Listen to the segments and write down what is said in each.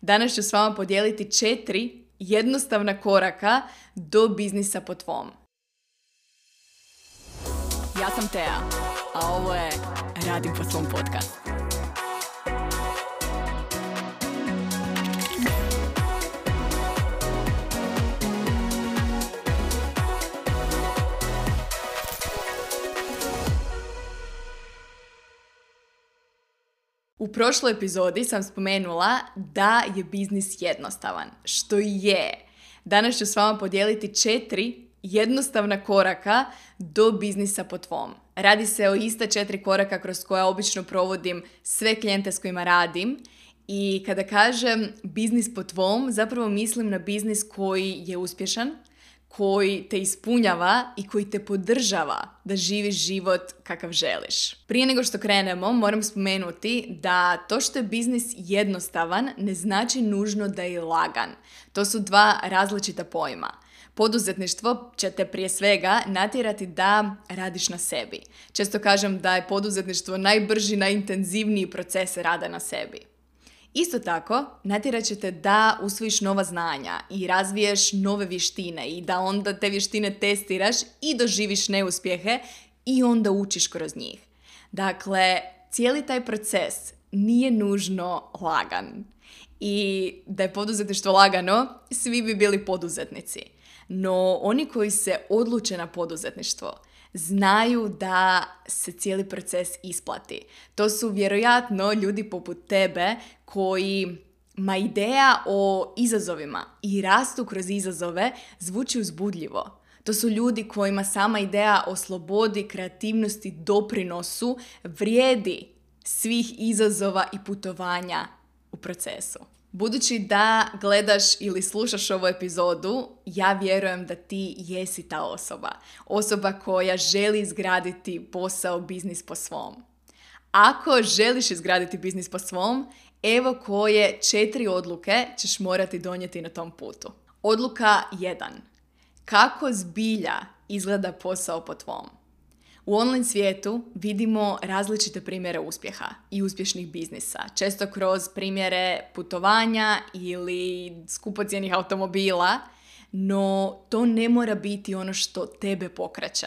Danas ću s vama podijeliti 4 jednostavna koraka do biznisa po tvom. Ja sam Tea, a ovo je Radim po svom podcast. U prošloj epizodi sam spomenula da je biznis jednostavan, što je. Danas ću s vama podijeliti 4 jednostavna koraka do biznisa po tvom. Radi se o ista 4 koraka kroz koja obično provodim sve klijente s kojima radim. I kada kažem biznis po tvom, zapravo mislim na biznis koji je uspješan, koji te ispunjava i koji te podržava da živiš život kakav želiš. Prije nego što krenemo, moram spomenuti da to što je biznis jednostavan ne znači nužno da je lagan. To su 2 različita pojma. Poduzetništvo će te prije svega natjerati da radiš na sebi. Često kažem da je poduzetništvo najbrži, najintenzivniji proces rada na sebi. Isto tako, natjerat će te da usvojiš nova znanja i razviješ nove vještine i da onda te vještine testiraš i doživiš neuspjehe i onda učiš kroz njih. Dakle, cijeli taj proces nije nužno lagan. I da je poduzetništvo lagano, svi bi bili poduzetnici. No, oni koji se odluče na poduzetništvo znaju da se cijeli proces isplati. To su vjerojatno ljudi poput tebe kojima ideja o izazovima i rastu kroz izazove zvuči uzbudljivo. To su ljudi kojima sama ideja o slobodi, kreativnosti, doprinosu vrijedi svih izazova i putovanja u procesu. Budući da gledaš ili slušaš ovu epizodu, ja vjerujem da ti jesi ta osoba. Osoba koja želi izgraditi posao, biznis po svom. Ako želiš izgraditi biznis po svom, evo koje 4 odluke ćeš morati donijeti na tom putu. Odluka 1. Kako zbilja izgleda posao po tvom? U online svijetu vidimo različite primjere uspjeha i uspješnih biznisa. Često kroz primjere putovanja ili skupocjenih automobila, no to ne mora biti ono što tebe pokreće.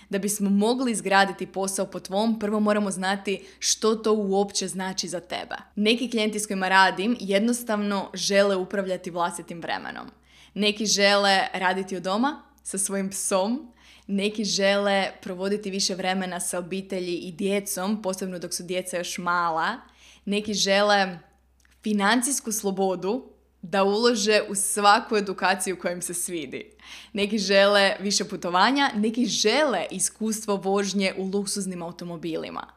Da bismo mogli izgraditi posao po tvom, prvo moramo znati što to uopće znači za tebe. Neki klijenti s kojima radim jednostavno žele upravljati vlastitim vremenom. Neki žele raditi od doma sa svojim psom, neki žele provoditi više vremena sa obitelji i djecom, posebno dok su djeca još mala. Neki žele financijsku slobodu da ulože u svaku edukaciju koja im se svidi. Neki žele više putovanja, neki žele iskustvo vožnje u luksuznim automobilima.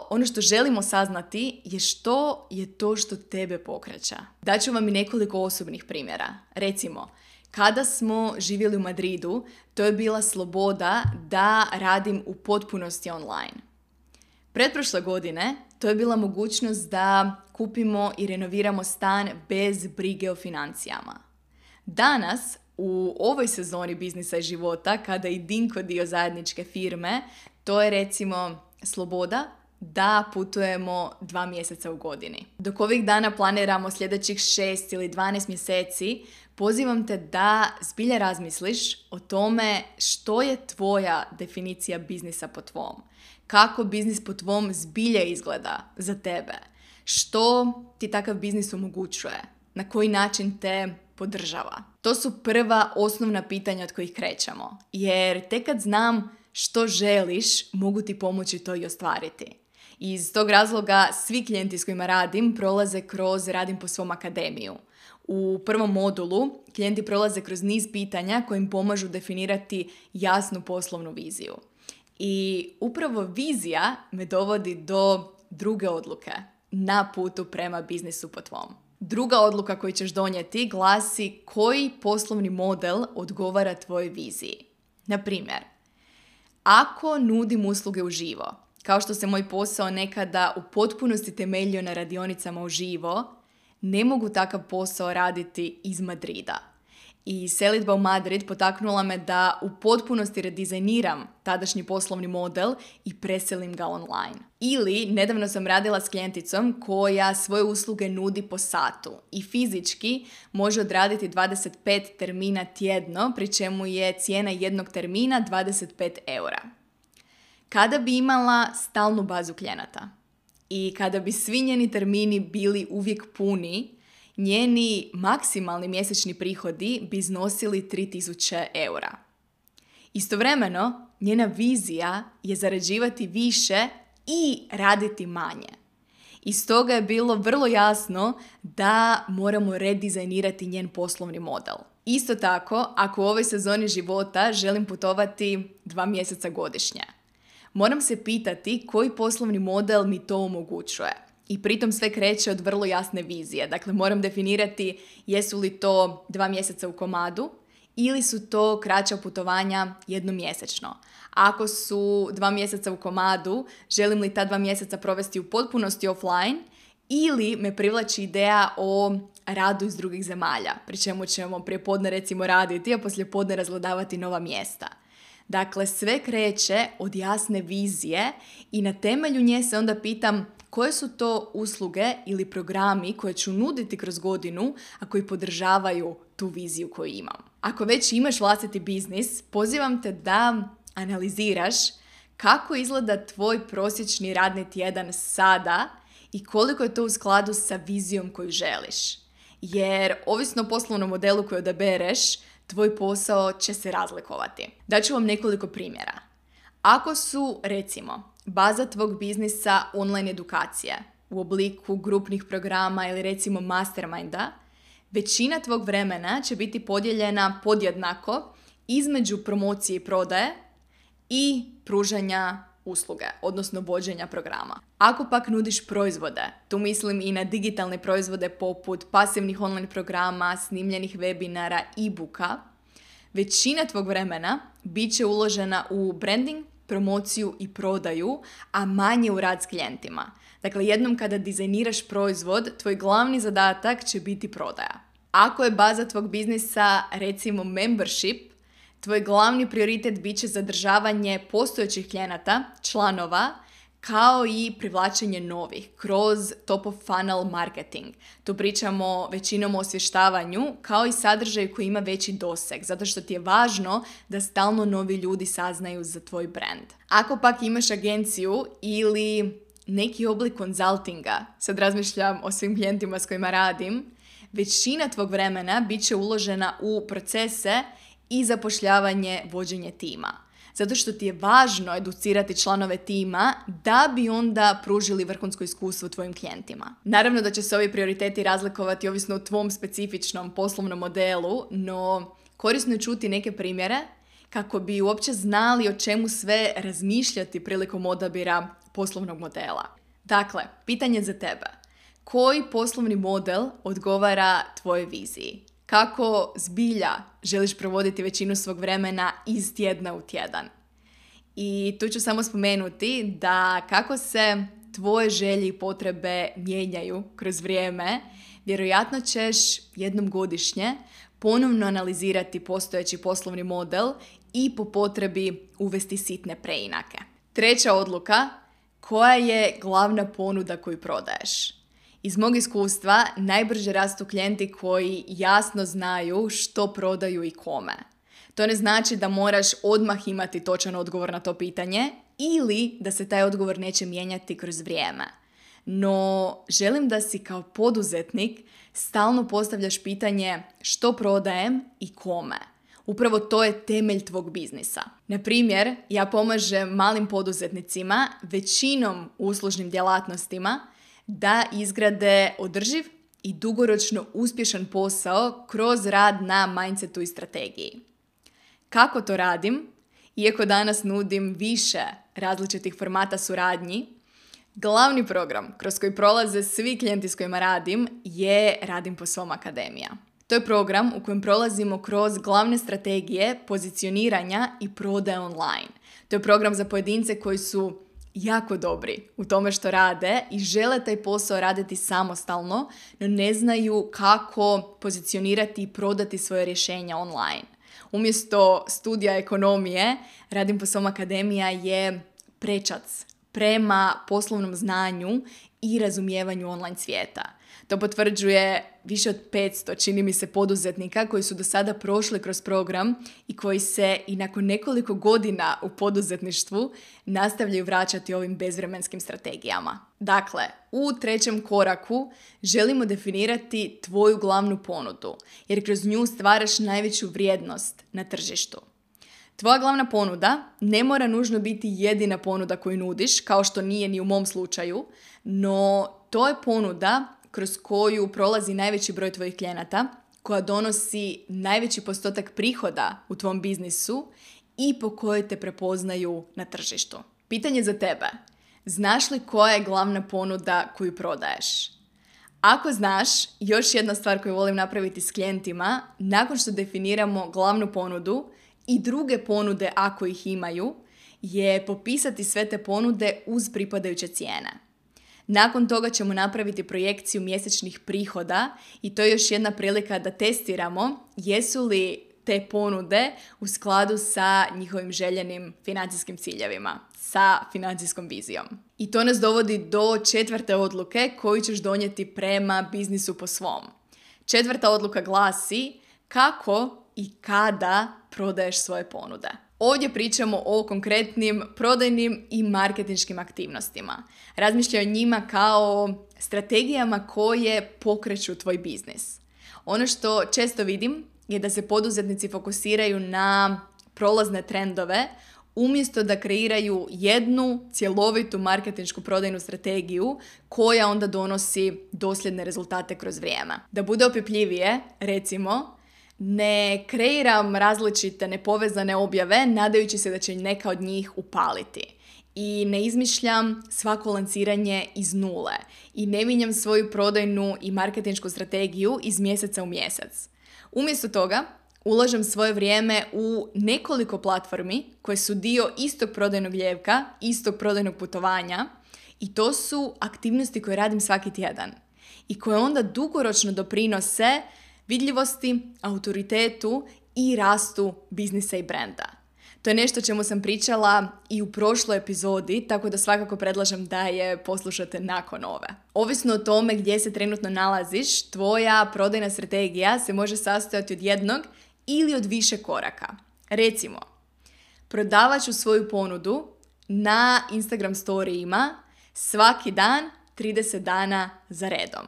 Ono što želimo saznati je što je to što tebe pokreće. Daću vam i nekoliko osobnih primjera. Recimo, kada smo živjeli u Madridu, to je bila sloboda da radim u potpunosti online. Pretprošle godine to je bila mogućnost da kupimo i renoviramo stan bez brige o financijama. Danas, u ovoj sezoni biznisa i života, kada je Dinko dio zajedničke firme, to je recimo sloboda da putujemo 2 mjeseca u godini. Dok ovih dana planiramo sljedećih 6 ili 12 mjeseci, pozivam te da zbilja razmisliš o tome što je tvoja definicija biznisa po tvom. Kako biznis po tvom zbilja izgleda za tebe. Što ti takav biznis omogućuje. Na koji način te podržava. To su prva osnovna pitanja od kojih krećemo. Jer tek kad znam što želiš, mogu ti pomoći to i ostvariti. Iz tog razloga svi klijenti s kojima radim prolaze kroz Radim po svom akademiju. U prvom modulu klijenti prolaze kroz niz pitanja koji im pomažu definirati jasnu poslovnu viziju. I upravo vizija me dovodi do druge odluke na putu prema biznisu po tvom. Druga odluka koju ćeš donijeti glasi koji poslovni model odgovara tvojoj viziji. Na primjer, ako nudim usluge uživo, kao što se moj posao nekada u potpunosti temeljio na radionicama uživo, ne mogu takav posao raditi iz Madrida. I selidba u Madrid potaknula me da u potpunosti redizajniram tadašnji poslovni model i preselim ga online. Ili nedavno sam radila s klijenticom koja svoje usluge nudi po satu i fizički može odraditi 25 termina tjedno, pri čemu je cijena jednog termina 25 eura. Kada bi imala stalnu bazu klijenata i kada bi svi njeni termini bili uvijek puni, njeni maksimalni mjesečni prihodi bi iznosili 3000 eura. Istovremeno, njena vizija je zarađivati više i raditi manje. I stoga je bilo vrlo jasno da moramo redizajnirati njen poslovni model. Isto tako, ako u ovoj sezoni života želim putovati 2 mjeseca godišnje, moram se pitati koji poslovni model mi to omogućuje. I pritom sve kreće od vrlo jasne vizije. Dakle, moram definirati jesu li to 2 mjeseca u komadu ili su to kraća putovanja jednomjesečno. Ako su 2 mjeseca u komadu, želim li ta 2 mjeseca provesti u potpunosti offline ili me privlači ideja o radu iz drugih zemalja, pri čemu ćemo prijepodne recimo raditi, a poslijepodne razgledavati nova mjesta. Dakle, sve kreće od jasne vizije i na temelju nje se onda pitam koje su to usluge ili programi koje ću nuditi kroz godinu, a koji podržavaju tu viziju koju imam. Ako već imaš vlastiti biznis, pozivam te da analiziraš kako izgleda tvoj prosječni radni tjedan sada i koliko je to u skladu sa vizijom koju želiš. Jer ovisno o poslovnom modelu koji odabereš, tvoj posao će se razlikovati. Daću vam nekoliko primjera. Ako su, recimo, baza tvog biznisa online edukacije u obliku grupnih programa ili recimo masterminda, većina tvog vremena će biti podijeljena podjednako između promocije i prodaje i pružanja usluge, odnosno vođenja programa. Ako pak nudiš proizvode, tu mislim i na digitalne proizvode poput pasivnih online programa, snimljenih webinara, e-booka, većina tvog vremena bit će uložena u branding, promociju i prodaju, a manje u rad s klijentima. Dakle, jednom kada dizajniraš proizvod, tvoj glavni zadatak će biti prodaja. Ako je baza tvog biznisa, recimo membership, tvoj glavni prioritet bit će zadržavanje postojećih klijenata, članova, kao i privlačenje novih kroz top of funnel marketing. Tu pričamo većinom o osvještavanju kao i sadržaju koji ima veći doseg, zato što ti je važno da stalno novi ljudi saznaju za tvoj brand. Ako pak imaš agenciju ili neki oblik konzultinga, sad razmišljam o svim klijentima s kojima radim, većina tvog vremena bit će uložena u procese i zapošljavanje, vođenje tima. Zato što ti je važno educirati članove tima da bi onda pružili vrhunsko iskustvo tvojim klijentima. Naravno da će se ovi prioriteti razlikovati ovisno o tvom specifičnom poslovnom modelu, no korisno je čuti neke primjere kako bi uopće znali o čemu sve razmišljati prilikom odabira poslovnog modela. Dakle, pitanje za tebe. Koji poslovni model odgovara tvojoj viziji? Kako zbilja želiš provoditi većinu svog vremena iz tjedna u tjedan? I tu ću samo spomenuti da kako se tvoje želje i potrebe mijenjaju kroz vrijeme, vjerojatno ćeš jednom godišnje ponovno analizirati postojeći poslovni model i po potrebi uvesti sitne preinake. Treća odluka, koja je glavna ponuda koju prodaješ? Iz mog iskustva, najbrže rastu klijenti koji jasno znaju što prodaju i kome. To ne znači da moraš odmah imati točan odgovor na to pitanje ili da se taj odgovor neće mijenjati kroz vrijeme. No, želim da si kao poduzetnik stalno postavljaš pitanje što prodajem i kome. Upravo to je temelj tvog biznisa. Na primjer, ja pomažem malim poduzetnicima, većinom uslužnim djelatnostima, da izgrade održiv i dugoročno uspješan posao kroz rad na mindsetu i strategiji. Kako to radim? Iako danas nudim više različitih formata suradnji, glavni program kroz koji prolaze svi klijenti s kojima radim je Radim po svom akademija. To je program u kojem prolazimo kroz glavne strategije pozicioniranja i prodaje online. To je program za pojedince koji su jako dobri u tome što rade i žele taj posao raditi samostalno, no ne znaju kako pozicionirati i prodati svoje rješenja online. Umjesto studija ekonomije, Radim po svom akademija je prečac prema poslovnom znanju i razumijevanju online svijeta. To potvrđuje više od 500, čini mi se, poduzetnika koji su do sada prošli kroz program i koji se i nakon nekoliko godina u poduzetništvu nastavljaju vraćati ovim bezvremenskim strategijama. Dakle, u 3. koraku želimo definirati tvoju glavnu ponudu, jer kroz nju stvaraš najveću vrijednost na tržištu. Tvoja glavna ponuda ne mora nužno biti jedina ponuda koju nudiš, kao što nije ni u mom slučaju, no to je ponuda kroz koju prolazi najveći broj tvojih klijenata, koja donosi najveći postotak prihoda u tvom biznisu i po kojoj te prepoznaju na tržištu. Pitanje za tebe. Znaš li koja je glavna ponuda koju prodaješ? Ako znaš, još jedna stvar koju volim napraviti s klijentima, nakon što definiramo glavnu ponudu i druge ponude ako ih imaju, je popisati sve te ponude uz pripadajuće cijene. Nakon toga ćemo napraviti projekciju mjesečnih prihoda i to je još jedna prilika da testiramo jesu li te ponude u skladu sa njihovim željenim financijskim ciljevima, sa financijskom vizijom. I to nas dovodi do 4. odluke koju ćeš donijeti prema biznisu po svom. 4. odluka glasi kako i kada prodaješ svoje ponude. Ovdje pričamo o konkretnim prodajnim i marketinškim aktivnostima. Razmišljaj o njima kao strategijama koje pokreću tvoj biznis. Ono što često vidim je da se poduzetnici fokusiraju na prolazne trendove umjesto da kreiraju jednu cjelovitu marketinšku prodajnu strategiju koja onda donosi dosljedne rezultate kroz vrijeme. Da bude opipljivije, recimo, ne kreiram različite nepovezane objave nadajući se da će neka od njih upaliti. I ne izmišljam svako lanciranje iz nule. I ne mijenjam svoju prodajnu i marketinšku strategiju iz mjeseca u mjesec. Umjesto toga, ulažem svoje vrijeme u nekoliko platformi koje su dio istog prodajnog lijevka, istog prodajnog putovanja i to su aktivnosti koje radim svaki tjedan i koje onda dugoročno doprinose vidljivosti, autoritetu i rastu biznisa i brenda. To je nešto o čemu sam pričala i u prošloj epizodi, tako da svakako predlažem da je poslušate nakon ove. Ovisno o tome gdje se trenutno nalaziš, tvoja prodajna strategija se može sastojati od jednog ili od više koraka. Recimo, prodavat ću svoju ponudu na Instagram storijima svaki dan 30 dana za redom.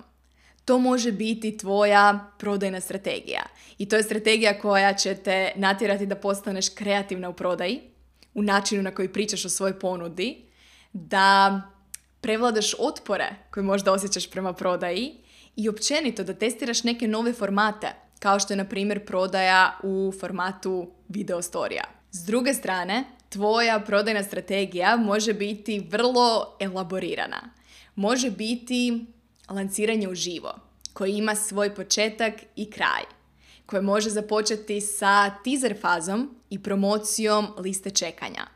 To može biti tvoja prodajna strategija. I to je strategija koja će te natjerati da postaneš kreativna u prodaji, u načinu na koji pričaš o svojoj ponudi, da prevladaš otpore koje možda osjećaš prema prodaji i općenito da testiraš neke nove formate, kao što je, na primjer, prodaja u formatu video storija. S druge strane, tvoja prodajna strategija može biti vrlo elaborirana. Može biti lanciranje uživo, koji ima svoj početak i kraj, koje može započeti sa teaser fazom i promocijom liste čekanja.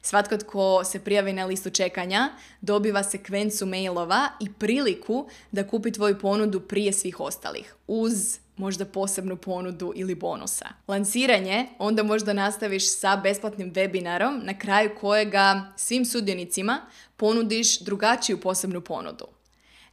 Svatko tko se prijavi na listu čekanja dobiva sekvencu mailova i priliku da kupi tvoju ponudu prije svih ostalih, uz možda posebnu ponudu ili bonusa. Lanciranje onda možda nastaviš sa besplatnim webinarom na kraju kojega svim sudionicima ponudiš drugačiju posebnu ponudu.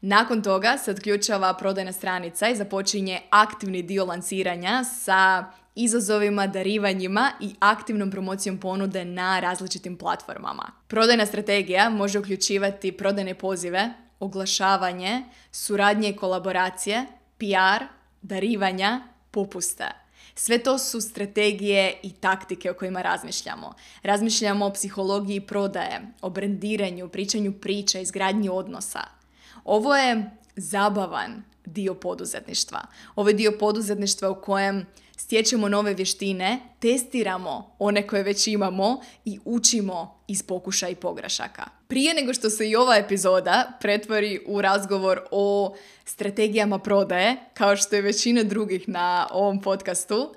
Nakon toga se otključava prodajna stranica i započinje aktivni dio lanciranja sa izazovima, darivanjima i aktivnom promocijom ponude na različitim platformama. Prodajna strategija može uključivati prodajne pozive, oglašavanje, suradnje i kolaboracije, PR, darivanja, popuste. Sve to su strategije i taktike o kojima razmišljamo. Razmišljamo o psihologiji prodaje, o brendiranju, pričanju priča, izgradnji odnosa. Ovo je zabavan dio poduzetništva. Ovo je dio poduzetništva u kojem stječemo nove vještine, testiramo one koje već imamo i učimo iz pokušaja i pogrešaka. Prije nego što se i ova epizoda pretvori u razgovor o strategijama prodaje, kao što je većina drugih na ovom podcastu,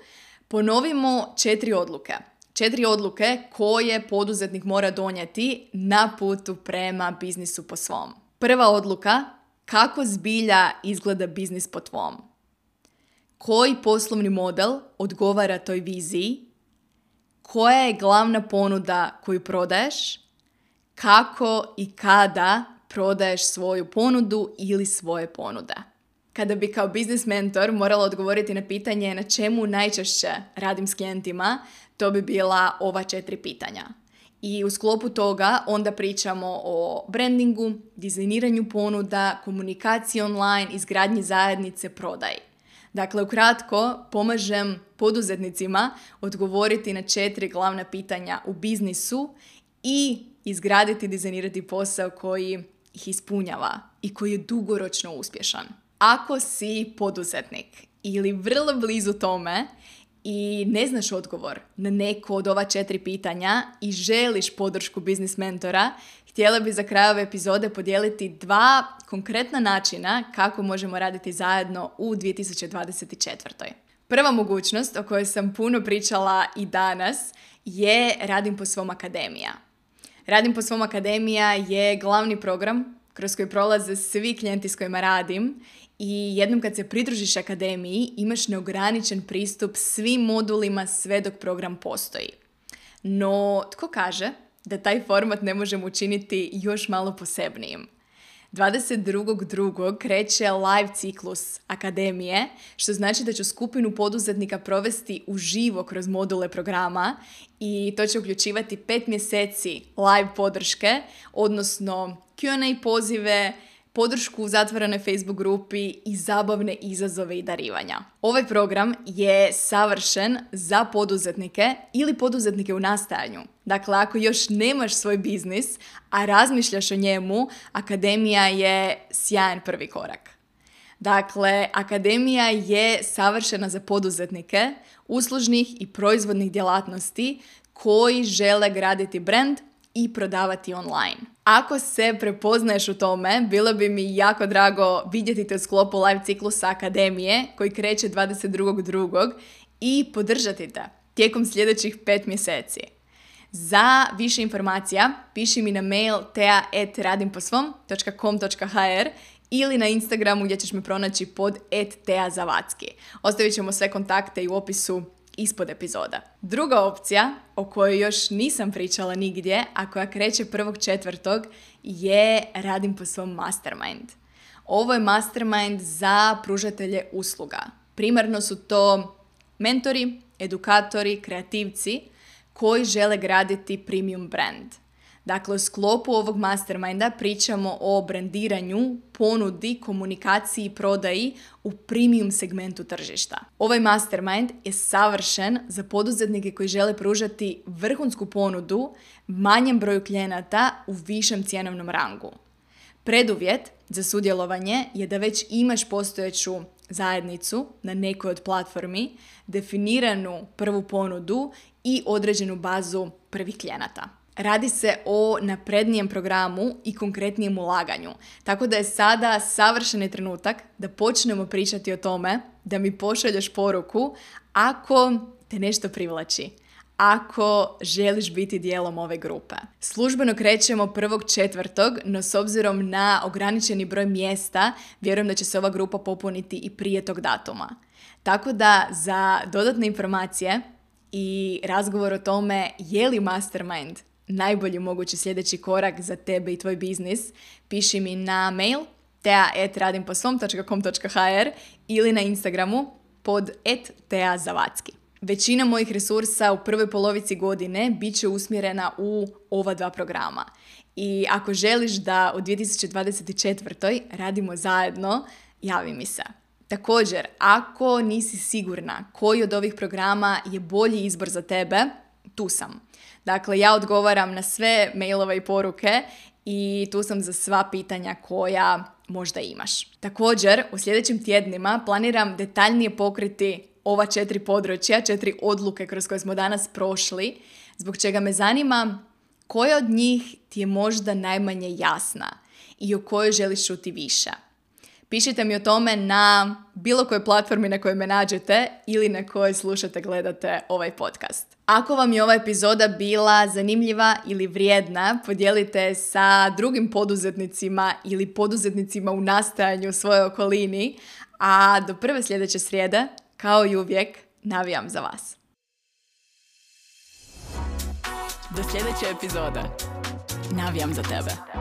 ponovimo 4 odluke. 4 odluke koje poduzetnik mora donijeti na putu prema biznisu po svom. Prva odluka, kako zbilja izgleda biznis po tvom? Koji poslovni model odgovara toj viziji? Koja je glavna ponuda koju prodaješ? Kako i kada prodaješ svoju ponudu ili svoje ponude? Kada bi kao biznis mentor morala odgovoriti na pitanje na čemu najčešće radim s klijentima, to bi bila ova 4 pitanja. I u sklopu toga onda pričamo o brandingu, dizajniranju ponuda, komunikaciji online, izgradnji zajednice, prodaji. Dakle, ukratko, pomažem poduzetnicima odgovoriti na 4 glavna pitanja u biznisu i izgraditi i dizajnirati posao koji ih ispunjava i koji je dugoročno uspješan. Ako si poduzetnik ili vrlo blizu tome i ne znaš odgovor na neko od ova 4 pitanja i želiš podršku biznis mentora, htjela bi za kraj ove epizode podijeliti 2 konkretna načina kako možemo raditi zajedno u 2024. Prva mogućnost o kojoj sam puno pričala i danas je Radim po svom akademija. Radim po svom akademija je glavni program kroz koji prolaze svi klijenti s kojima radim i jednom kad se pridružiš akademiji imaš neograničen pristup svim modulima sve dok program postoji. No, tko kaže da taj format ne možemo učiniti još malo posebnijim? 22.2. kreće live ciklus akademije, što znači da ću skupinu poduzetnika provesti uživo kroz module programa i to će uključivati 5 mjeseci live podrške, odnosno Q&A pozive, podršku u zatvorenoj Facebook grupi i zabavne izazove i darivanja. Ovaj program je savršen za poduzetnike ili poduzetnike u nastajanju. Dakle, ako još nemaš svoj biznis, a razmišljaš o njemu, akademija je sjajan prvi korak. Dakle, akademija je savršena za poduzetnike uslužnih i proizvodnih djelatnosti koji žele graditi brand i prodavati online. Ako se prepoznaješ u tome, bilo bi mi jako drago vidjeti te u sklopu live ciklusa akademije koji kreće 22.2. i podržati te tijekom sljedećih 5 mjeseci. Za više informacija piši mi na mail tea@radimposvom.com.hr ili na Instagramu gdje ćeš me pronaći pod @teazavacki. Ostavit ćemo sve kontakte i u opisu ispod epizoda. Druga opcija, o kojoj još nisam pričala nigdje, a koja kreće 1.4. je Radim po svom mastermind. Ovo je mastermind za pružatelje usluga. Primarno su to mentori, edukatori, kreativci koji žele graditi premium brand. Dakle, u sklopu ovog masterminda pričamo o brandiranju, ponudi, komunikaciji i prodaji u premium segmentu tržišta. Ovaj mastermind je savršen za poduzetnike koji žele pružati vrhunsku ponudu manjem broju klijenata u višem cjenovnom rangu. Preduvjet za sudjelovanje je da već imaš postojeću zajednicu na nekoj od platformi, definiranu prvu ponudu i određenu bazu prvih klijenata. Radi se o naprednijem programu i konkretnijem ulaganju. Tako da je sada savršeni trenutak da počnemo pričati o tome, da mi pošalješ poruku ako te nešto privlači, ako želiš biti dijelom ove grupe. Službeno krećemo 1.4., no s obzirom na ograničeni broj mjesta, vjerujem da će se ova grupa popuniti i prije tog datuma. Tako da za dodatne informacije i razgovor o tome je li mastermind najbolji mogući sljedeći korak za tebe i tvoj biznis, piši mi na mail tea@radimposvom.com.hr ili na Instagramu pod @teazavacki. Većina mojih resursa u prvoj polovici godine bit će usmjerena u ova 2 programa. I ako želiš da u 2024. radimo zajedno, javi mi se. Također, ako nisi sigurna koji od ovih programa je bolji izbor za tebe, tu sam. Dakle, ja odgovaram na sve mailove i poruke i tu sam za sva pitanja koja možda imaš. Također, u sljedećim tjednima planiram detaljnije pokriti ova 4 područja, 4 odluke kroz koje smo danas prošli, zbog čega me zanima koja od njih ti je možda najmanje jasna i o kojoj želiš čuti više. Pišite mi o tome na bilo kojoj platformi na kojoj me nađete ili na kojoj slušate, gledate ovaj podcast. Ako vam je ova epizoda bila zanimljiva ili vrijedna, podijelite sa drugim poduzetnicima ili poduzetnicima u nastajanju u svojoj okolini, a do prve sljedeće srijede, kao i uvijek, navijam za vas. Do sljedeće epizode. Navijam za tebe.